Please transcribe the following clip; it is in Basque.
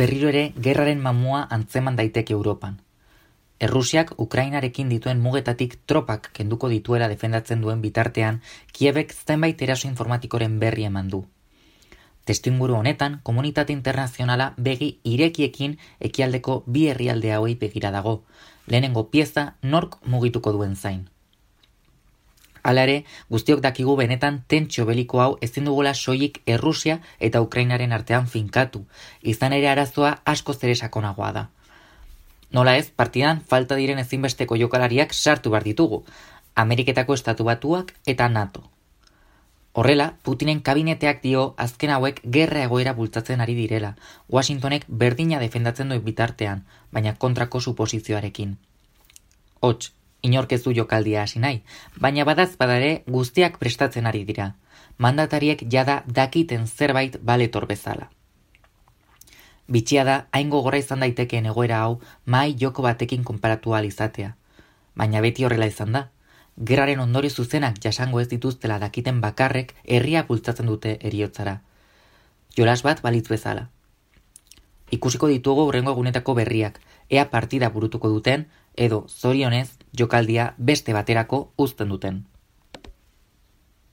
berriro ere gerraren mamua antzeman daiteke Europan. Errusiak Ukrainarekin dituen mugetatik tropak kenduko dituela defendatzen duen bitartean, Kiebek zenbait eraso informatikoren berri eman du. Testuinguru honetan, komunitate internazionala begi irekiekin ekialdeko bi herrialde hauei begira dago, lehenengo pieza nork mugituko duen zain. Hala ere, guztiok dakigu benetan tentsio beliko hau ezin dugula soilik Errusia eta Ukrainaren artean finkatu, izan ere arazoa askoz ere sakonagoa da. Nola ez, partidan falta diren ezinbesteko jokalariak sartu behar ditugu, Ameriketako Estatu Batuak eta NATO. Horrela, Putinen kabineteak dio azken hauek gerra egoera bultzatzen ari direla, Washingtonek berdina defendatzen duen bitartean, baina kontrako suposizioarekin. Hots, inork ez du jokaldia hasi nahi, baina badazpada ere guztiak prestatzen ari dira. Mandatariek jada dakiten zerbait baletor bezala. Bitxia da, hain gogorra izan daitekeen egoera hau mahai joko batekin konparatu ahal izatea. Baina beti horrela izan da. Gerraren ondorio zuzenak jasango ez dituztela dakiten bakarrek herria bultzatzen dute heriotzara. Jolas bat balitz bezala. Ikusiko ditugu hurrengo egunetako berriak, ea partida burutuko duten, edo zorionez jokaldia beste baterako uzten duten.